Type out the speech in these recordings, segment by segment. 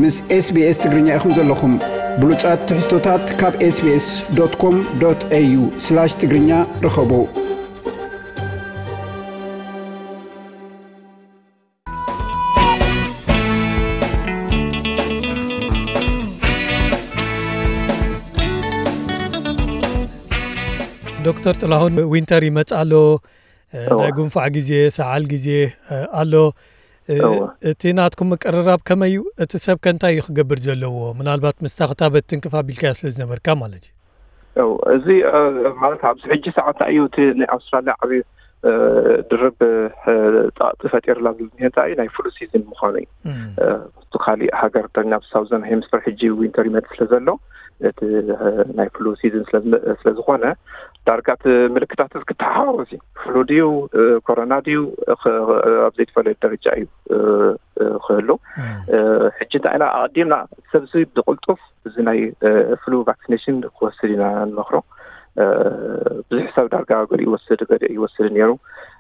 ምስ SBS ትግርኛ ኢኹም ዘለኹም። ብሉጻት ትሕዝቶታት ካብ SBS.com.au/ትግርኛ ርኸቡ። ዶክተር ጥላሁን፣ ዊንተር ይመጽእ ኣሎ። እ፣ እዋ። ናይ ጉንፋዕ ግዜ፣ ሰዓል ግዜ፣ እ፣ ኣሎ። እ፣ እዋ። እቲ ናትኩም ምቅርራብ ከመይ እዩ? እቲ ሰብ ከ እንታይ እዩ ክገብር ዘለዎ? ምናልባት ምስታ ክታበት ትንክፍ ኣቢልካያ ስለ ዝነበርካ ማለት እዩ። እው፣ እዚ፣ እ፣ ማለት ኣብዚ ሕጂ ሰዓት እዩ እቲ ናይ ኣውስትራልያ ዓብዪ፣ እ፣ ድርብ፣ እ፣ ጸቕጢ ፈጢርላ ዘሎ እንታይ እዩ? ናይ ፍሉ ሲዝን ምዃኑ እዩ። እም። እ፣ እቲ ካሊእ ሃገር፣ ናብ ሳውዘርን ሄምስፈር ሕጂ ዊንተር ይመጽእ ስለ ዘሎ፣ እቲ፣ እ፣ ናይ ፍሉ ሲዝን ስለ ዝመ-፣ ስለ ዝኾነ፣ ዳርጋ እቲ ምልክታት እዚ ክተሓዋወስ እዩ። ፍሉ ድዩ፣ እ፣ ኮሮና ድዩ፣ እ፣ ኸ-፣ ኣብ ዘይተፈለየ ደረጃ እዩ፣ እ፣ እ፣ ክህሉ። እም። እ፣ ሕጂ እንታይ ኢና ኣቐዲምና፣ ሰብ እዚ ብቕልጡፍ እዚ ናይ፣ እ፣ ፍሉ ቫክሲኔሽን ክወስድ ኢና ንመኽሮ። እ፣ ብዙሕ ሰብ ዳርጋ ገሊኡ ይወስድ፣ ገሊኡ ይወስድ ነይሩ።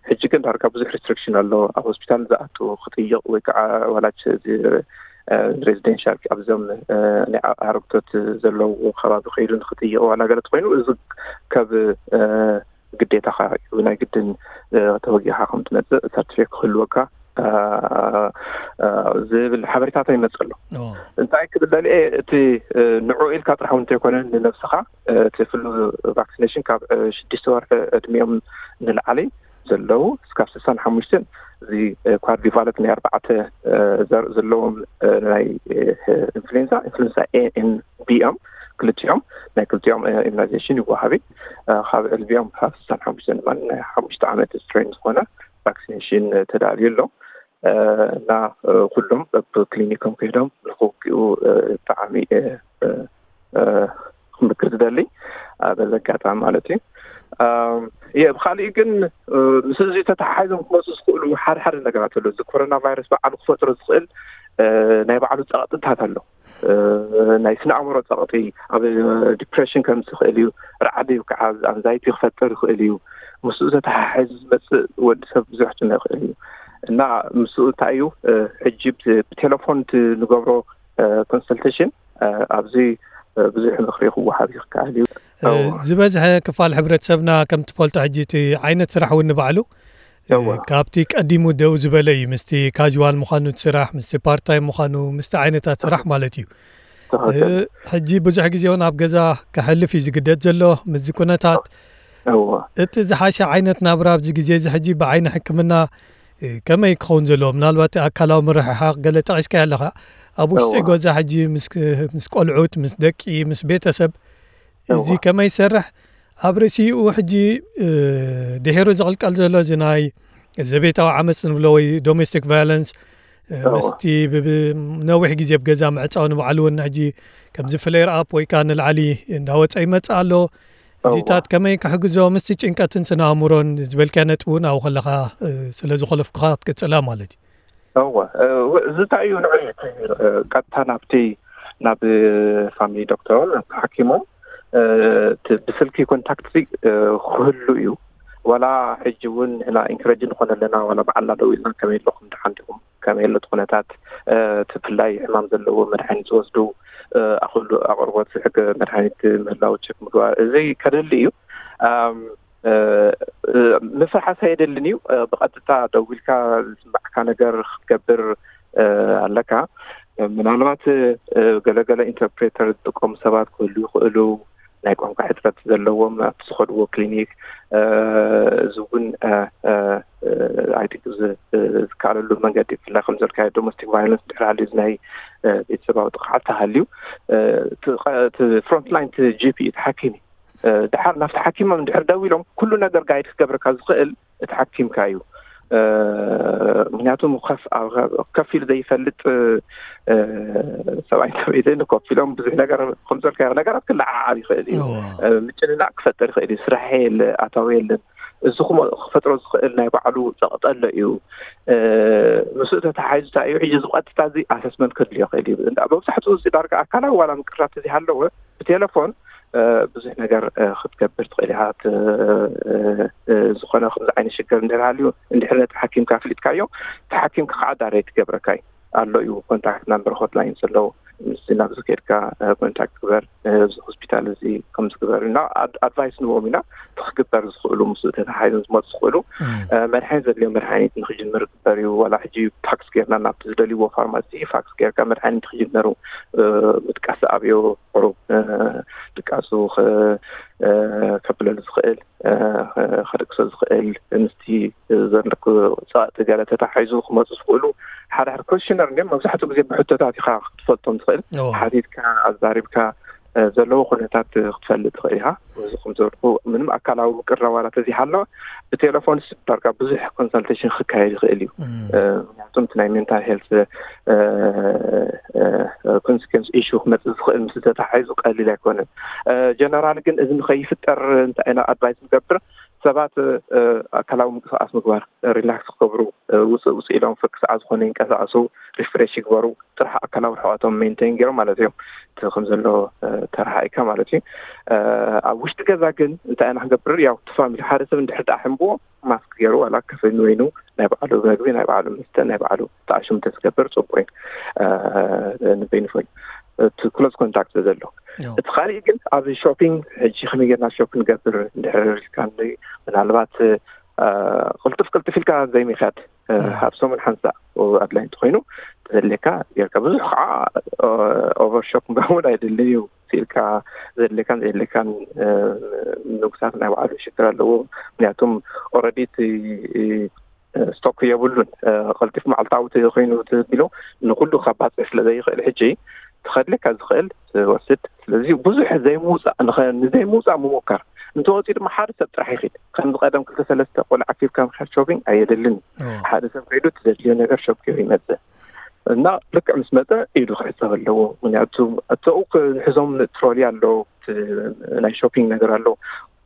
ሕጂ ግን ዳርጋ ብዙሕ ሪስትሪክሽን ኣሎ። ኣብ ሆስፒታል ዝኣቱ ክጥይቕ ወይ ከዓ ዋላች እዚ፣ እ፣ ሬዚደንሻል ኣብዞም፣ እ፣ ናይ ኣ-፣ ኣረግቶት ዘለውዎ ከባቢ ከይዱ ንክጥይቕ ዋላ ገለ ተኮይኑ፣ እዚ ከብ፣ እ፣ ግዴታኻ እዩ። ናይ ግድን፣ እ፣ ተወጊኻ ከም ትመጽእ ሰርቲፊኬት ክህልወካ፣ እ፣ እ፣ ዝብል ሓበሬታታት ይመጽእ ኣሎ። ኦ። እንታይ ክብል ደልየ፣ እቲ፣ እ፣ ንዕኡ ኢልካ ጥራሕ እውን እንተይኮነ፣ ንነብስኻ፣ እ፣ እቲ ፍሉ ቫክሲኔሽን ካብ፣ እ፣ ሽዱሽተ ወርሒ ዕድሚኦም ንላዕሊ ዘለዉ እስካብ ስሳን ሓሙሽተን፣ እዚ፣ እ፣ ኳድሪቫለንት ናይ ኣርባዕተ፣ እ፣ ዘር ዘለዎም፣ እ፣ ናይ፣ እ፣ ኢንፍሉዌንዛ፣ ኢንፍሉዌንዛ ኤ ኤን ቢ እዮም። ክልቲኦም፣ ናይ ክልቲኦም፣ እ፣ ኢሚናይዜሽን ይወሃብ እዩ። እ፣ ካብ ዕድሚኦም ካብ ስሳን ሓሙሽተን ድማ ናይ ሓሙሽተ ዓመት ስትሬን ዝኾነ ቫክሲኔሽን፣ እ፣ ተዳልዩ ኣሎ። እ፣ እና፣ እ፣ ኩሎም ኣብ ክሊኒኮም ከይዶም ንክውግኡ፣ እ፣ ብጣዕሚ፣ እ፣ እ፣ እ፣ ክምክር ዝደሊ፣ እ፣ በዚ ኣጋጣሚ ማለት እዩ። እም፣ የ-፣ ብኻሊእ ግን፣ እ፣ ምስ እዚ ተተሓሒዞም ክመፁ ዝኽእሉ ሓደ ሓደ ነገራት ኣሎ። እዚ ኮሮና ቫይረስ ባዕሉ ክፈጥሮ ዝኽእል፣ እ፣ ናይ ባዕሉ ጸቕጥታት ኣሎ። እ፣ ናይ ስነ ኣእምሮ ጸቕጢ፣ ኣብ ዲፕሬሽን ከምጽእ ይኽእል እዩ። ርዓዲ ወይ ከዓ ኣንዛይቲ ክፈጥር ይኽእል እዩ። ምስኡ ተተሓሒዙ ዝመጽእ ወዲ ሰብ ብዙሕ ክጭነቕ ይኽእል እዩ። እና ምስኡ እንታይ እዩ፣ እ፣ ሕጂ ብ-፣ ብቴሌፎን እቲ ንገብሮ፣ እ፣ ኮንሰልቴሽን፣ እ፣ ኣብዚ፣ እ፣ ብዙሕ ምኽሪ ክወሃብ ይከኣል እዩ። እ፣ እዎ። ዝበዝሐ ክፋል ሕብረተሰብና ከም ትፈልጦ ሕጂ እቲ ዓይነት ስራሕ እውን ንባዕሉ፣ እ፣ እዎ። ካብቲ ቀዲሙ ደው ዝበለ እዩ። ምስቲ ካዥዋል ምዃኑ እቲ ስራሕ፣ ምስቲ ፓርት ታይም ምዃኑ፣ ምስቲ ዓይነታት ስራሕ ማለት እዩ። ትኽክል። እ፣ ሕጂ ብዙሕ ግዜ እውን ኣብ ገዛ ከሕልፍ እዩ ዝግደድ ዘሎ። ምስዚ ኩነታት እዎ። እቲ ዝሓሸ ዓይነት ናብራ ኣብዚ ግዜ እዚ ሕጂ ብዓይኒ ሕክምና፣ እ፣ ከመይ ክኸውን ዘለዎ? ምናልባት ኣካላዊ ምርሕሓቕ ገለ ጠቒስካዮ ኣለኻ። ኣብ ውሽጢ እዎ። ገዛ ሕጂ ምስ፣ ምስ ቆልዑት፣ ምስ ደቂ፣ ምስ ቤተሰብ እዚ እዎ። ከመይ ይሰርሕ? ኣብ ርእሲኡ ሕጂ፣ እ፣ ድሒሩ ዝቕልቀል ዘሎ እዚ ናይ ዘቤታዊ ዓመፅ ንብሎ ወይ ዶሜስቲክ ቫዮለንስ፣ እ፣ እዎ። ምስቲ ብ-፣ ብ-፣ ነዊሕ ግዜ ኣብ ገዛ ምዕፃው ንባዕሉ እውን ሕጂ ከምዚ ፍሌር ኣፕ ወይ ከዓ ንላዕሊ እንዳወፀ ይመፅእ ኣሎ። እዚታት እዎ። ከመይ ክሕግዞ ምስቲ ጭንቀትን ስነ ኣእምሮን ዝበልካዮ ነጥቢ እውን ኣብኡ ከለኻ፣ እ፣ ስለ ዝኾለፍኩኻ ክትቅፅላ ማለት እዩ። እወ፣ እ፣ ው-፣ እዚ እንታይ እዩ ንዑ እዩ እቲ፣ እ፣ ቀጥታ ናብቲ፣ ናብ ፋሚሊ ዶክተር፣ ናብ ሓኪሞም፣ እ፣ እቲ ብስልኪ ኮንታክት ሲ፣ እ፣ ክህሉ እዩ። ዋላ ሕጂ እውን ንሕና ኢንክረጅ ንኾነ ኣለና፣ ዋላ ባዕልና ደው ኢልና ከመይ ኣለኹም፣ ደሓን ዲኹም፣ ከመይ ኣሎ እቲ ኩነታት፣ እ፣ እቲ ብፍላይ ሕማም ዘለዎ መድሓኒት ዝወስዱ፣ እ፣ ኣኽሉ ኣቕርቦት ሕገ መድሓኒት ምህላው ቸክ ምግባር፣ እዚ ከደሊ እዩ። ኣም፣ እ፣ እ፣ ምፍርሓስ ኣየደልን እዩ። እ፣ ብቐጥታ ደዊልካ ዝስማዕካ ነገር ክትገብር፣ እ፣ ኣለካ። ምናልባት፣ እ፣ ገለገለ ኢንተርፕሬተር ዝጥቀሙ ሰባት ክህሉ ይኽእሉ፣ ናይ ቋንቋ ሕጽረት ዘለዎም ኣብቲ ዝኸድዎ ክሊኒክ። እ፣ እዚ እውን፣ እ፣ እ፣ እ፣ I think ዝ-፣ እ፣ ዝከኣለሉ መንገዲ፣ ብፍላይ ከም ዘልካዮ ዶሜስቲክ ቫዮለንስ ድሕሪ ሃልዩ፣ እዚ ናይ፣ እ፣ ቤተሰባዊ ጥቕዓት ተሃልዩ፣ እ፣ እቲ ቐ-፣ እቲ ፍሮንትላይን፣ እቲ ጂ ፒ፣ እቲ ሓኪም እዩ። እ፣ ድሓር ናብቲ ሓኪሞም እንድሕር ደዊሎም፣ ኩሉ ነገር ጋይድ ክገብረካ ዝኽእል እቲ ሓኪምካ እዩ። እ፣ ምክንያቱ ከፍ-፣ ኣብ፣ ከፍ ኢሉ ዘይፈልጥ፣ እ፣ ሰብኣይን ሰበይትን ኮፍ ኢሎም ብዙሕ ነገር ከም ዘልካዮ ነገራት ክለዓዓል ይኽእል እዩ። እዎ። እ፣ ምጭንናቕ ክፈጥር ይኽእል እዩ። ስራሕ የለ፣ ኣታዊ የለን። እዚ ክሞ-፣ ክፈጥሮ ዝኽእል ናይ ባዕሉ ጸቕጢ ኣሎ እዩ። እ፣ ምስኡ ተተሓሒዙ እንታይ እዩ፣ ሕጂ እዚ ቀጥታ እዚ ኣሰስመንት ከድልዮ ይኽእል እዩ። እንዳ-፣ መብዛሕትኡ እዚ ዳርጋ ኣካላዊ ዋላ ምቅርራብ ተዘይሃለወ ብቴሌፎን፣ እ፣ ብዙሕ ነገር፣ እ፣ ክትገብር ትኽእል ኢኻ። እቲ፣ እ፣ እ፣ ዝኾነ ከምዚ ዓይነት ሽግር እንድሕር ሃልዩ፣ እንድሕር ነቲ ሓኪምካ ኣፍሊጥካዮ፣ እቲ ሓኪምካ ከዓ ዳይሬክት ይገብረካ እዩ። ኣሎ እዩ፣ ኮንታክት ናምበር ሆትላይን ዘለዉ። ምስዚ ናብዚ ከድካ ኮንታክት ግበር፣ እዚ ሆስፒታል እዚ ከምዚ ግበር እና ኣድቫይስ ንቦም ኢና። ክግበር ዝኽእሉ ምስ ተተሓሒዞም ዝመፁ ዝኽእሉ መድሓኒት ዘድልዮ መድሓኒት ንክጅምር ግበር እዩ። ዋላ ሕጂ ፋክስ ጌርና ናብቲ ዝደልይዎ ፋርማሲ ፋክስ ጌርካ መድሓኒት ክጅመሩ ምጥቃስ ኣብዮ ቁሩብ ድቃሱ ከብለሉ ዝኽእል ከደቅሶ ዝኽእል ምስቲ ዘለኩ ጸቕጢ ገለ ተታሒዙ ክመፁ ዝኽእሉ ሓደ ሓደ ኮሽነር እንዲም መብዛሕትኡ ግዜ ብሕቶታት ኢኻ ክትፈልጦም ትኽእል። ሓቲትካ ኣዛሪብካ ዘለዎ ኩነታት ክትፈልጥ ትኽእል ኢኻ። እዚ ከም ዝበልኩ ምንም ኣካላዊ ምቅርራብ ዋላ ተዘይሃለወ ብቴሌፎን ስዳርካ ብዙሕ ኮንሰልቴሽን ክካየድ ይኽእል እዩ። ምክንያቱም እቲ ናይ ሜንታል ሄልት ኮንሲኩንስ ኢሹ ክመፅእ ዝኽእል ምስ ተታሒዙ ቀሊል ኣይኮነን። ጀነራል ግን እዚ ንኸይፍጠር እንታይ ኢና ኣድቫይስ ንገብር? ሰባት ኣካላዊ ምንቅስቃስ ምግባር፣ ሪላክስ ክገብሩ፣ ውፅእ ውፅእ ኢሎም ፈክስዓ ዝኾነ ይንቀሳቀሱ፣ ሪፍሬሽ ይግበሩ፣ ጥራሕ ኣካላዊ ርሕቀቶም ሜንቴን ገይሮም ማለት እዮም። እቲ ከም ዘሎ ተረሓኢካ ማለት እዩ። ኣብ ውሽጢ ገዛ ግን እንታይ ኢና ክንገብር? ያው እቲ ፋሚሊ ሓደ ሰብ እንድሕር ደኣ ሕምብዎ ማስክ ገይሩ ዋላ ከፈኑ ወይኑ ናይ ባዕሉ መግቢ ናይ ባዕሉ መስተ ናይ ባዕሉ ተኣሽሙ ተዝገብር ፅቡቅ እዩ። ንበይኑ ፈሉ እቲ ክሎዝ ኮንታክት ዘሎ እቲ ካሊእ ግን ኣብ ሾፒንግ ሕጂ ከመይ ጌርና ሾፕ ንገብር እንድሕር ኢልካ ምናልባት ቅልጥፍ ቅልጥፍ ኢልካ ዘይምካድ ኣብ ሰሙን ሓንሳ ኣድላይ እንተኮይኑ ተዘድልየካ ጌርካ ብዙሕ ከዓ ኦቨር ሾፕ ምግባር እውን ኣይደልን እዩ። ኢልካ ዘድልየካን ዘየድልየካን ንጉሳት ናይ ባዕሉ ሽግር ኣለዎ። ምክንያቱም ኦረዲ እቲ ስቶክ የብሉን። ቀልጢፍ መዓልታዊ ተዘይኮይኑ ተቢሎ ንኩሉ ካብ ባፅዕ ስለ ዘይኽእል ሕጂ ተኸድለካ ዝኽእል ትወስድ። ስለዚ ብዙሕ ዘይምውፃእ ንዘይምውፃእ ምሞከር እንተወፂኡ ድማ ሓደ ሰብ ጥራሕ ይኽእል። ከምዚ ቀደም ክልተ ሰለስተ ቆልዓ ኣኪብካ ምክያድ ሾፒንግ ኣየደልን። ሓደ ሰብ ከይዱ ትደድልዮ ነገር ሸኪሩ ይመፅእ እና ልክዕ ምስ መፀ ኢዱ ክሕፀብ ኣለዎ። ምክንያቱ እተኡ ዝሕዞም ትሮሊ ኣሎ፣ ናይ ሾፒንግ ነገር ኣሎ።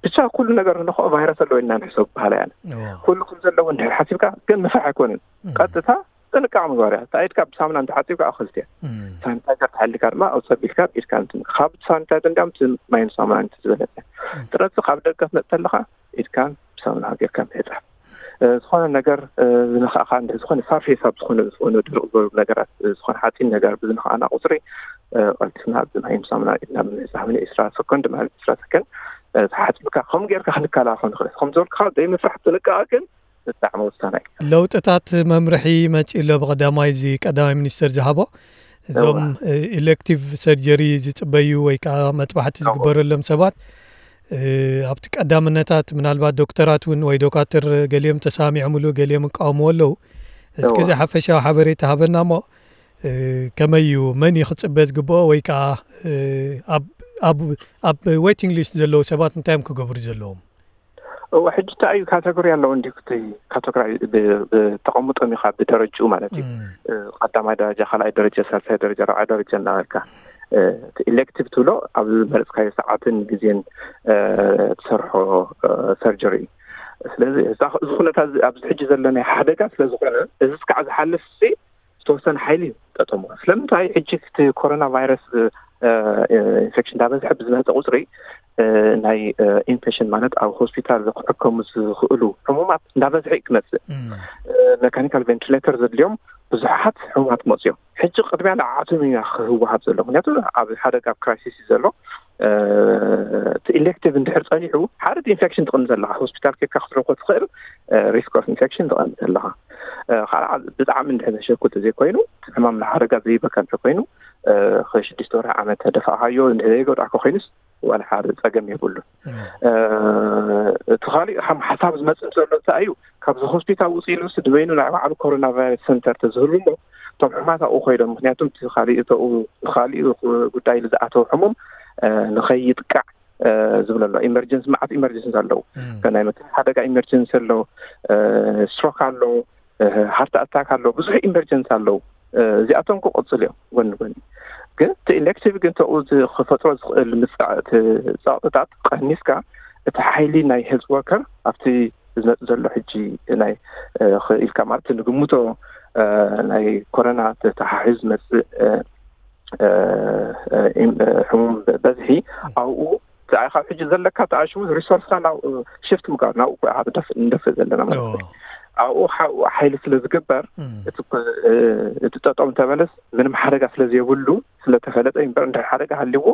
ብቻ ኩሉ ነገር ንኸኦ ቫይረስ ኣለዎ ኢልና ንሕሰብ በሃላ እያ። ኩሉ ከም ዘለዎ እንድሕር ሓሲብካ ግን ምፍራሕ ኣይኮንን። ቀጥታ ጥንቃቕ ምግባር እያ። እታ ኢድካ ብሳሙና እንተሓፂብካ ኣኸልቲ እያ። ሳኒታይዘር ተሓሊካ ድማ ኣብ ፀቢልካ ኢድካ እንትን ካብ ሳኒታይዘር እንዲያም እቲ ማይን ሳሙና እንትን ዝበለፀ ጥረፂ ካብ ደገ ትመፅእ ኣለኻ ኢድካን ብሳሙና ጌርካ ምሕፃብ። ዝኾነ ነገር ዝነኻእኻ እንደ ዝኾነ ሳርፌስ ኣብ ዝኾነ ዝኾነ ድርቕ ዝበሉ ነገራት ዝኾነ ሓፂን ነገር ብዝነኻእና ቁፅሪ ቀልጢፍና ብማይን ሳሙና ኢድና ብምሕፃብ ን ዒስራ ሰኮንድ ማለት ዒስራ ሰኮንድ ተሓፂብካ ከም ጌርካ ክንከላኸል ንኽእል ከም ዝበልካ ዘይምፍራሕ ጥንቃቐ ግን ብጣዕሚ ወሳናይ እዩ። ለውጥታት መምርሒ መፂእ ኣሎ። ብቀዳማይ እዚ ቀዳማይ ሚኒስትር ዝሃቦ እዞም ኢሌክቲቭ ሰርጀሪ ዝፅበዩ ወይ ከዓ መጥባሕቲ ዝግበረሎም ሰባት ኣብቲ ቀዳምነታት ምናልባት ዶክተራት እውን ወይ ዶካትር ገሊኦም ተሳሚዖምሉ ገሊኦም እቃወምዎ ኣለዉ። እስከ እዚ ሓፈሻዊ ሓበሬታ ሃበና እሞ ከመይ እዩ መን እዩ ክፅበ ዝግብኦ ወይ ከዓ ኣብ ዌቲንግ ሊስት ዘለዉ ሰባት እንታይ እዮም ክገብሩ ዘለዎም? እወ ሕጂ እንታይ እዩ ካተጎሪ ኣለዎ እንዲ እቲ ካተጎሪ ብተቐምጦም ኢኻ ብደረጅኡ ማለት እዩ። ቀዳማይ ደረጃ ካልኣይ ደረጃ ሳልሳይ ደረጃ ራብዓይ ደረጃ እናበልካ እቲ ኢሌክቲቭ ትብሎ ኣብ ዝመረፅካዮ ሰዓትን ግዜን ትሰርሖ ሰርጀሪ እዩ። ስለዚ እዚ ኩነታ ኣብዚ ሕጂ ዘለናይ ሓደጋ ስለዝኾነ እዚ ስካዕ ዝሓልፍ ዝተወሰነ ሓይሊ እዩ ጠጠሙ። ስለምንታይ ሕጂ እቲ ኮሮና ቫይረስ ኢንፌክሽን እንዳበዝሐ ብዝመፀ ቁፅሪ ናይ ኢንፌክሽን ማለት ኣብ ሆስፒታል ክሕከሙ ዝኽእሉ ሕሙማት እንዳበዝሐ እዩ ክመፅእ። መካኒካል ቬንቲሌተር ዘድልዮም ብዙሓት ሕሙማት መፅዮም። ሕጂ ቅድሚያ ንዓዓቶም እዩ ክህወሃብ ዘሎ። ምክንያቱ ኣብ ሓደጋ ኣብ ክራይሲስ እዩ ዘሎ። እቲ ኢሌክቲቭ እንድሕር ፀኒሑ ሓደ ኢንፌክሽን ትቕንስ ኣለካ። ሆስፒታል ኬድካ ክትረኮ ትኽእል ሪስክ ኦፍ ኢንፌክሽን ትቐንስ ኣለካ። ካልዓ ብጣዕሚ እንድሕር ዘሸኩ ተዘይኮይኑ ሕማም ንሓደጋ ዘይበካ እንተኮይኑ ሽዱሽተ ወርሒ ዓመት ተደፋእካዮ እንድሕር ዘይጎድኣካ ኮይኑስ ዋላ ሓደ ፀገም የብሉን። እቲ ካሊእ ከም ሓሳብ ዝመፅእ ዘሎ እንታይ እዩ? ካብዚ ሆስፒታል ውፅእ ኢሉ ንበይኑ ናይ ባዕሉ ኮሮና ቫይረስ ሰንተር ተዝህሉ እሞ እቶም ሕማት ኣብኡ ኮይዶም ምክንያቱም እቲ ካሊእ እተኡ ካሊእ ጉዳይ ዝኣተው ሕሙም ንኸይጥቃዕ ዝብለ ኣሎ። ኢመርጀንሲ መዓት ኢመርጀንሲ ኣለዉ። ናይ መኪና ሓደጋ ኢመርጀንሲ ኣሎ፣ ስትሮክ ኣሎ፣ ሃርት ኣታክ ኣሎ፣ ብዙሕ ኢመርጀንሲ ኣለዉ። እዚኣቶም ክቕፅሉ እዮም ጎኒ ጎኒ። ግን እቲ ኢሌክቲቭ ግን ተኡ ክፈጥሮ ዝኽእል ምፃእ እቲ ፀቕጥታት ቀኒስካ እቲ ሓይሊ ናይ ሄልት ወርከር ኣብቲ ዝመፅእ ዘሎ ሕጂ ናይ ኢልካ ማለት ንግምቶ ናይ ኮረና ተተሓሒዙ ዝመፅእ ሕሙም በዝሒ ኣብኡ ካብ ሕጂ ዘለካ ተኣሽሙ ሪሶርስካ ናብ ሽፍት ምግባር ናብኡ ንደፍእ ዘለና ማለት እዩ። ኣብኡ ሓ- ሓይሊ ስለ ዝግበር እቲ እ፣ እቲ ጠጠው እንተበለስ ምንም ሓደጋ ስለ ዘይብሉ ስለተፈለጠ እምበር እንድሕር ሓደጋ ሃልዎ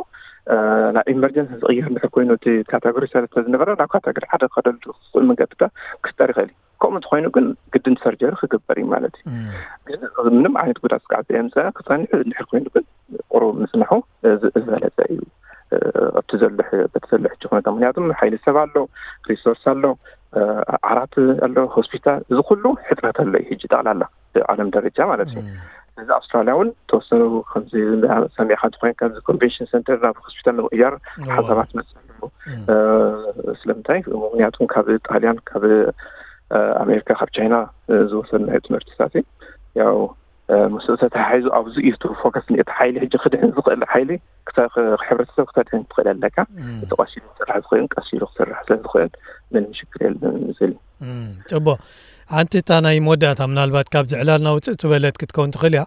እ፣ ናብ ኢመርጀንሲ ዝቕየር እንድሕር ኮይኑ እቲ ካተጎሪ ሰለስተ ዝነበረ ናብ ካተጎሪ ሓደ ክኸደሉ ዝኽእል መንገድታት ክፍጠር ይኽእል እዩ። ከምኡ እንተኾይኑ ግን ግድን ሰርጀሪ ክግበር እዩ ማለት እዩ። ግን ምንም ዓይነት ጉዳት ስጋዕ ዘየምፀ ክፀንሕ እንድሕር ኮይኑ ግን ቁሩብ ምፅንሑ እ፣ ዝ- ዝበለፀ እዩ። እ፣ ኣብቲ ዘሎ ሕ- በቲ ዘሎ ሕጂ ኩነታ ምክንያቱም ሓይሊ ሰብ ኣሎ፣ ሪሶርስ ኣሎ፣ እ፣ ዓራት ኣሎ፣ ሆስፒታል፣ እዚ ኩሉ ሕፅረት ኣሎ እዩ ሕጂ ጠቕላላ ብዓለም ደረጃ ማለት እዩ። እዚ ኣውስትራልያ እውን ተወሰኑ ከምዚ ሰሚዕካ እንተኮይን ከምዚ ኮንቬንሽን ሰንተር ናብ ሆስፒታል ንምቕያር ሓሳባት መፅእ ኣለዎ። እ፣ ስለምንታይ ምክንያቱም ካብ ጣልያን ካብ እ፣ ኣሜሪካ ካብ ቻይና እ፣ ዝወሰድናዮ ትምህርትታት እዩ። ያው እ፣ ምስኡ ተተሓሒዙ ኣብዚ እዩ እቲ ፎከስ እቲ ሓይሊ ሕጂ ክድሕን ዝኽእል ሓይሊ ክተ- ክ- ሕብረተሰብ ክተድሕን ትኽእል ኣለካ። እቲ ቀስ ኢሉ ክሰርሕ ዝኽእል ቀስ ኢሉ ክሰርሕ ስለ ዝኽእል ምንም ሽግር የለን ዝብል እዩ። ጽቡቅ። ሓንቲ እታ ናይ መወዳእታ ምናልባት ካብዚ ዕላልና ውፅእ ዝበለት ክትከውን ትኽእል እያ።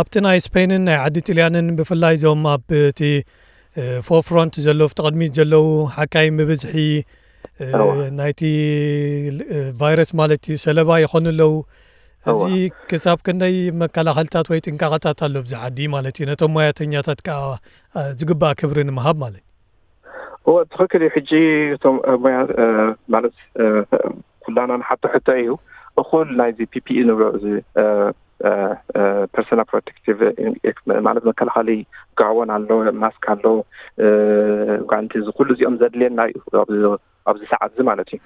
ኣብቲ ናይ ስፔንን ናይ ዓዲ ጥልያንን ብፍላይ እዞም ኣብ እቲ ፎርፍሮንት ዘለዉ ኣብቲ ቅድሚት ዘለዉ ሓካይ ብብዝሒ ናይቲ ቫይረስ ማለት እዩ ሰለባ ይኾኑ ኣለዉ። እዚ ክሳብ ክንደይ መከላኸልታት ወይ ጥንቃቐታት ኣሎ ኣብዚ ዓዲ ማለት እዩ ነቶም ሞያተኛታት ከዓ ዝግባእ ክብሪ ንምሃብ ማለት እዩ። እወ ትኽክል እዩ። ሕጂ እቶም ሞያ ማለት ኩላና ንሓቶ ሕቶ እዩ። እኹል ናይዚ ፒፒኢ ንብሎ እዚ ፐርሶና ፕሮቴክቲቭ ማለት መከላኸሊ ጋወን ኣሎ፣ ማስክ ኣሎ፣ ጓንቲ፣ እዚ ኩሉ እዚኦም ዘድልየና እዩ ኣብዚ ሰዓት እዚ ማለት እዩ።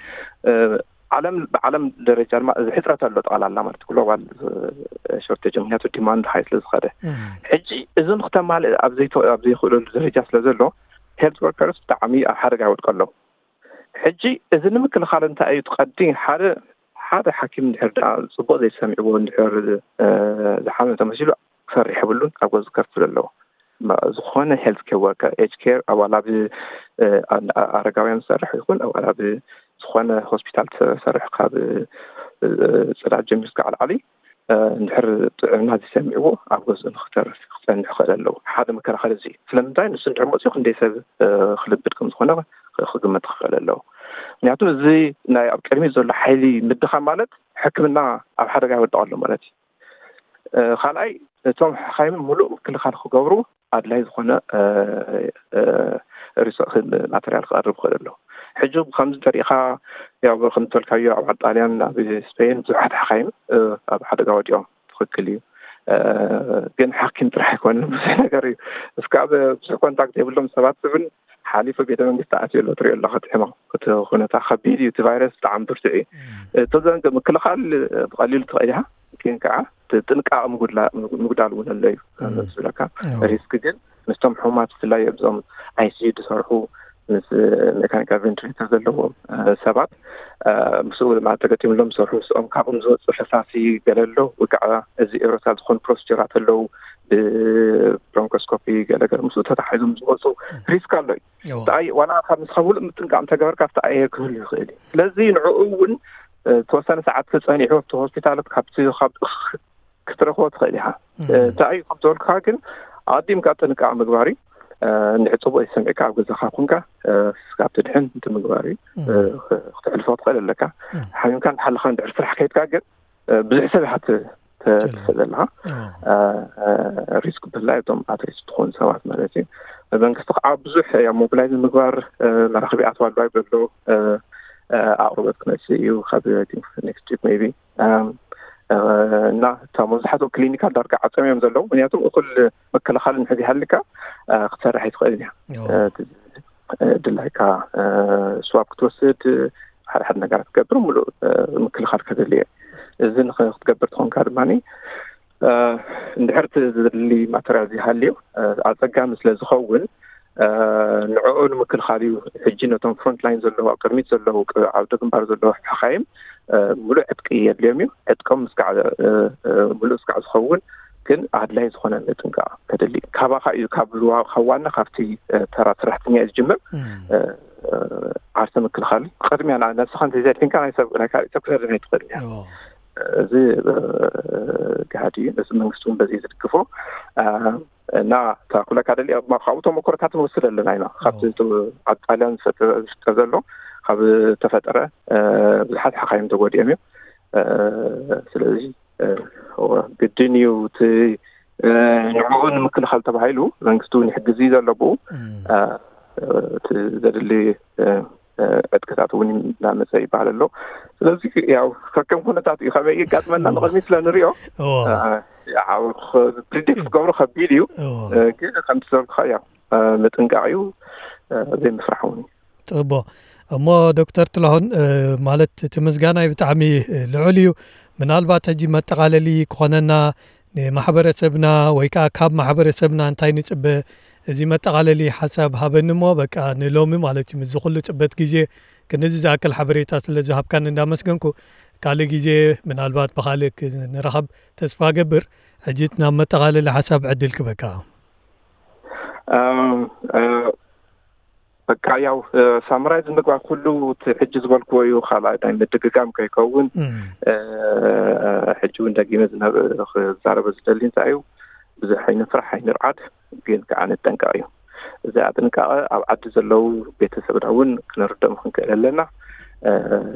ዓለም ብዓለም ደረጃ ድማ እዚ ሕፅረት ኣሎ ጠቕላላ ማለት ግሎባል ሾርቴጅ ምክንያቱ ዲማንድ ሃይ ስለ ዝኸደ ሕጂ እዚ ንክተማልእ ኣብ ዘይክእለሉ ደረጃ ስለ ዘሎ ሄልት ወርከርስ ብጣዕሚ ኣብ ሓደጋ ይወድቀ ኣለዉ። ሕጂ እዚ ንምክልኻል እንታይ እዩ ትቐዲ ሓደ ሓደ ሓኪም እንድሕር ደኣ ፅቡቅ ዘይሰሚዕዎ እንድሕር ዝሓመ ተመሲሉ ክሰርሕ የብሉን ኣብ ገዙ ከርፍል ኣለዎ። ዝኾነ ሄልት ኬር ወርከር ኤጅ ኬር ኣባል ኣብ ኣረጋውያን ዝሰርሕ ይኹን ኣባል ኣብ ዝኾነ ሆስፒታል ትሰርሕ ካብ ፅዳት ጀሚሩ እስካዕ ላዕሊ እንድሕር ጥዕና ዝሰሚዕዎ ኣብ ገዝኡ ንክተርፍ ክፀንሕ ክኽእል ኣለዎ። ሓደ መከላኸሊ እዚ እዩ። ስለምንታይ ንሱ እንድሕር መፅኡ ክንደይ ሰብ ክልብድ ከም ዝኾነ ክግመት ክኽእል ኣለዎ። ምክንያቱ እዚ ናይ ኣብ ቅድሚት ዘሎ ሓይሊ ምድኻም ማለት ሕክምና ኣብ ሓደጋ ይወድቕ ኣሎ ማለት እዩ። ካልኣይ እቶም ሓኻይም ሙሉእ ምክልኻል ክገብሩ ኣድላይ ዝኾነ ማተርያል ክቐርብ ክእል ኣሎ። ሕጂ ከምዚ ተሪኢኻ ያው ከም ተልካዮ ኣብ ጣልያን ኣብ ስፔን ብዙሓት ሓኻይም ኣብ ሓደጋ ወዲኦም ትኽክል እዩ። ግን ሓኪም ጥራሕ ኣይኮንን ብዙሕ ነገር እዩ። እስካ ብዙሕ ኮንታክት የብሎም ሰባት እውን ሓሊፉ ቤተ መንግስቲ ኣትዩ ኣሎ ትሪኦ ኣለካ እቲ ሕማም እቲ ኩነታ ከቢድ እዩ። እቲ ቫይረስ ብጣዕሚ ብርቱዕ እዩ። እቶ ዘንገ ምክልኻል ብቐሊሉ ትኽእል ኢኻ ግን ከዓ ጥንቃቐ ምጉዳል እውን ኣሎ እዩ ዝብለካ። ሪስክ ግን ምስቶም ሕሙማት ብፍላይ ኣብዞም ኣይሲዩ ዝሰርሑ ምስ ሜካኒካል ቬንትሌተር ዘለዎም ሰባት ምስኡ ድማ ተገጢምሎም ዝሰርሑ ምስኦም ካብኦም ዝወፅእ ፈሳሲ ገለ ኣሎ ወይ ከዓ እዚ ኤሮሳል ዝኾኑ ፕሮሲጀራት ኣለዉ ብብሮንኮስኮፒ ገለገለ ምስኡ ተታሒዞም ዝወፁ ሪስክ ኣሎ እዩ። ዋላ ካብ ምስኻ ሙሉእ ምጥንቃቕ እንተገበርካ ኣብቲ ኣየር ክህሉ ይኽእል እዩ። ስለዚ ንዕኡ እውን ተወሰነ ሰዓት ተፀኒሑ ኣብቲ ሆስፒታላት ካብቲ ካብ ክትረኽቦ ትኽእል ኢኻ። እንታይ እዩ ከም ዝበልኩኻ ግን ኣቐዲምካ ጥንቃቕ ምግባር እዩ። እንድሕር ፅቡቅ ይሰምዕካ ኣብ ገዛኻ ኮንካ ስጋብ ትድሕን እቲ ምግባር እዩ። ክተሕልፎ ትኽእል ኣለካ። ሓሚምካ እንዳሓለኻ እንድሕር ስራሕ ከይድካ ግን ብዙሕ ሰብ ኢኻ ትኽእል ዘለኻ ሪስክ ብፍላይ እቶም ኣትሪስክ ትኾኑ ሰባት ማለት እዩ። መንግስቲ ከዓ ብዙሕ ያ ሞቢላይዝ ምግባር መራኽቢ ኣትዋ ኣሎ ዘሎ ኣቕርቦት ክመፅእ እዩ ካብ ኔክስት ዊክ ሜቢ እና እታ መብዛሕትኡ ክሊኒካል ዳርጋ ዓፀም እዮም ዘለዉ ምክንያቱም እኩል መከላኸሊ እንድሕር ዘይሃልካ ክትሰርሕ ኣይትኽእልን እያ። ድላይካ ስዋብ ክትወስድ ሓደ ሓደ ነገራት ክትገብር ሙሉእ ምክልኻል ከደሊ እየ። እዚ ንክትገብር ትኾንካ ድማ እንድሕር እቲ ዝደሊ ማተርያል ዘይሃልዩ ኣፀጋሚ ስለ ዝኸውን ንዕኡ ንምክልኻል እዩ። ሕጂ ነቶም ፍሮንት ላይን ዘለዉ ኣብ ቅድሚት ዘለዉ ዓውደ ግንባር ዘለዉ ሓኻይም ሙሉእ ዕጥቂ የድልዮም እዩ። ዕጥቆም ስጋዕ ሙሉእ ስጋዕ ዝኸውን ግን ኣድላይ ዝኾነ ምጥንቃቕ ከደሊ ካባኻ እዩ ካብ ካብ ዋና ካብቲ ተራ ሰራሕተኛ እዩ ዝጅምር። ዓርሰ ምክልኻል ቅድሚያ ነብስኻ እንተዘድሕንካ ናይ ሰብ ናይ ካልእ ሰብ ክተድሕን ኣይትኽእልን እያ። እዚ ጋህዲ እዩ። ነዚ መንግስቲ እውን በዚ ዝድግፎ እና እታ ኩለካ ደሊ ካብኡ ተመክሮታት ንወስድ ኣለና ኢና ካብቲ ኣብ ጣልያን ዝፍጠር ዘሎ ካብ ተፈጠረ ብዙሓት ሓኻይም ተጎዲኦም እዮም። ስለዚ ግድን እዩ እቲ ንዕኡ ንምክልኻል ተባሂሉ መንግስቲ እውን ይሕግዝ እዩ ዘሎ ብኡ እቲ ዘድሊ ዕጥቅታት እውን እናመፀ ይበሃል ኣሎ። ስለዚ ያው ከከም ኩነታት እዩ ከመይ ይጋጥመና ንቕድሚት ስለ ንሪኦ ፕሪዲክት ክገብሮ ከቢድ እዩ። ግን ከምቲ ዘልካ ያው ምጥንቃቕ እዩ፣ ዘይምፍራሕ እውን እዩ። ፅቡቕ። እሞ ዶክተር ጥላሁን፣ ማለት እቲ ምስጋናይ ብጣዕሚ ልዑል እዩ። ምናልባት ሕጂ መጠቓለሊ ክኾነና ንማሕበረሰብና ወይ ከዓ ካብ ማሕበረሰብና እንታይ ንፅበ፣ እዚ መጠቓለሊ ሓሳብ ሃበኒ እሞ በቃ ንሎሚ ማለት እዩ ምስዚ ኩሉ ፅበት ግዜ ክንዚ ዝኣክል ሓበሬታ ስለ ዝሃብካን እንዳመስገንኩ ካልእ ግዜ ምናልባት ብካልእ ክንራኸብ ተስፋ ገብር። ሕጂ ናብ መጠቓለሊ ሓሳብ ዕድል ክበካ። በቃ ያው ሳምራይዝ ምግባር ኩሉ እቲ ሕጂ ዝበልክዎ እዩ። ካልኣይ ናይ ምድግጋም ከይከውን ሕጂ እውን ደጊመ ክዛረበ ዝደሊ እንታይ እዩ፣ ብዙሕ ኣይንፍራሕ ኣይንርዓድ፣ ግን ከዓ ንጠንቀቕ እዩ። እዚኣ ጥንቃቐ ኣብ ዓዲ ዘለዉ ቤተሰብና እውን ክንርደም ክንክእል ኣለና።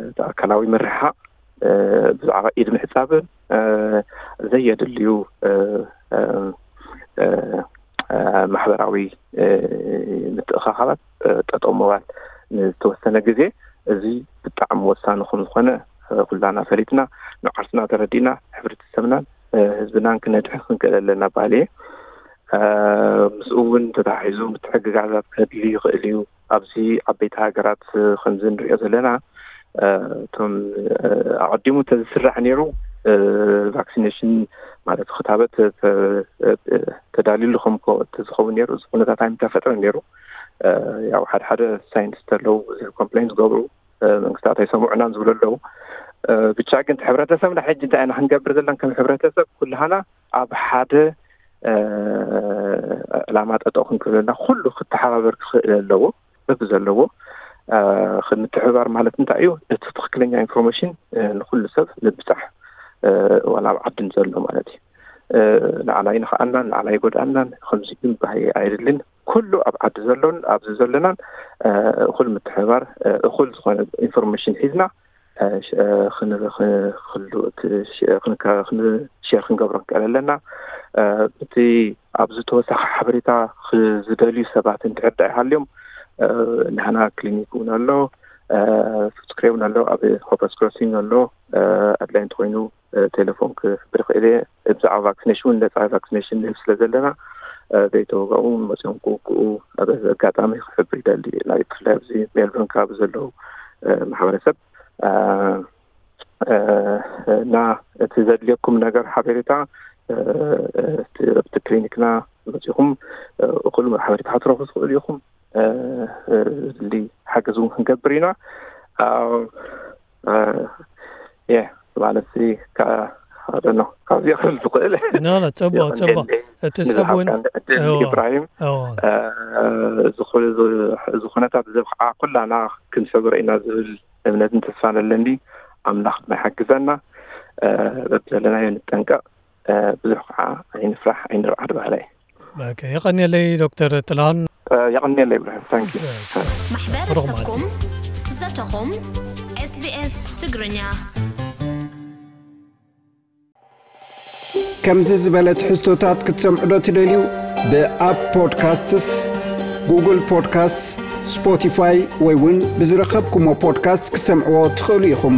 እቲ ኣካላዊ ምርሕሓቕ ብዛዕባ ኢድ ምሕፃብን ዘየድልዩ ማሕበራዊ ምትእኻኻባት ጠጠው ምባል ንዝተወሰነ ግዜ፣ እዚ ብጣዕሚ ወሳኒ ከም ዝኾነ ኩላና ፈሊጥና ንዓርስና ተረዲእና ሕብረተሰብናን ህዝብናን ክነድሕን ክንክእል ኣለና በሃሊ እየ። ምስኡ እውን ተተሓሒዙ ምትሕግጋዛት ከድሊ ይኽእል እዩ። ኣብዚ ዓበይቲ ሃገራት ከምዚ ንሪኦ ዘለና እቶም ኣቐዲሙ እንተዝስራሕ ነይሩ ቫክሲኔሽን ማለት ክታበት ተዳልዩሉ ከም ተዝኸውን ነይሩ እዚ ኩነታት ኣይምተፈጥረ ነይሩ። ያው ሓደ ሓደ ሳይንቲስት ኣለዉ ብዙሕ ኮምፕሌን ዝገብሩ መንግስታት ኣይሰምዑናን ዝብሉ ኣለዉ። ብቻ ግን ሕብረተሰብና ሕጂ እንታይ ኢና ክንገብር ዘለና ከም ሕብረተሰብ ኩልሃና ኣብ ሓደ ዕላማ ጠጠው ክንክብለና ኩሉ ክተሓባበር ክኽእል ኣለዎ። በቢ ዘለዎ ምትሕብባር ማለት እንታይ እዩ? እቲ ትኽክለኛ ኢንፎርሜሽን ንኩሉ ሰብ ምብፃሕ ዋላ ኣብ ዓድን ዘሎ ማለት እዩ። ንዓና ይንኽኣናን ንዓና ይጎድኣናን ከምዚ ግን ባህይ ኣይድልን። ኩሉ ኣብ ዓዲ ዘሎን ኣብዚ ዘለናን እኹል ምትሕብባር እኹል ዝኾነ ኢንፎርሜሽን ሒዝና ክንሸር ክንገብሮ ንክእል ኣለና። እቲ ኣብዚ ተወሳኺ ሓበሬታ ዝደልዩ ሰባት እንድሕር ዳኣ ይሃልዮም ናህና ክሊኒክ እውን ኣሎ፣ ፉትስክሬ እውን ኣሎ፣ ኣብ ሆፐርስ ክሮሲንግ ኣሎ። ኣድላይ እንተኮይኑ ቴሌፎን ክሕብር ይኽእል እየ። ብዛዕባ ቫክሲኔሽን እውን ነፃ ቫክሲኔሽን ንህብ ስለ ዘለና ዘይተወጋኡ መፅኦም ክውግኡ ኣብ ኣጋጣሚ ክሕብር ይደሊ። ናይ ብፍላይ ኣብዚ ሜልበርን ከባቢ ዘለዉ ማሕበረሰብ እና እቲ ዘድልየኩም ነገር ሓበሬታ ኣብቲ ክሊኒክና መፂኹም እኹል ሓበሬታ ክትረኽቡ ትኽእሉ ኢኹም። ዝድሊ ሓገዝ እውን ክንገብር ኢና። የ ማለት ካብዚኦ ክብል ዝኽእል ኖ ኖ፣ ፅቡቅ ፅቡቅ። እቲ ሰብ እውን ኢብራሂም እዚ ኩነታት ዘብቃዓ ኩላና ክንሰግሮ ኢና ዝብል እምነትን ተስፋን ኣለኒ። ኣምላኽ ድማ ይሓግዘና። በብዘለናዮ ንጠንቀቕ። ብዙሕ ከዓ ኣይንፍራሕ ኣይንርዓድ ባህላይ። የቐንየለይ ዶክተር ጥላሁን። የቐንየለይ ብርሃን። ታንኪ። ማሕበረሰብኩም ዘተኹም ኤስቢኤስ ትግርኛ። ከምዚ ዝበለ ትሕዝቶታት ክትሰምዑ ዶ ትደልዩ? ብኣፕ ፖድካስትስ፣ ጉግል ፖድካስትስ፣ ስፖቲፋይ ወይ እውን ብዝረኸብኩሞ ፖድካስት ክትሰምዕዎ ትኽእሉ ኢኹም።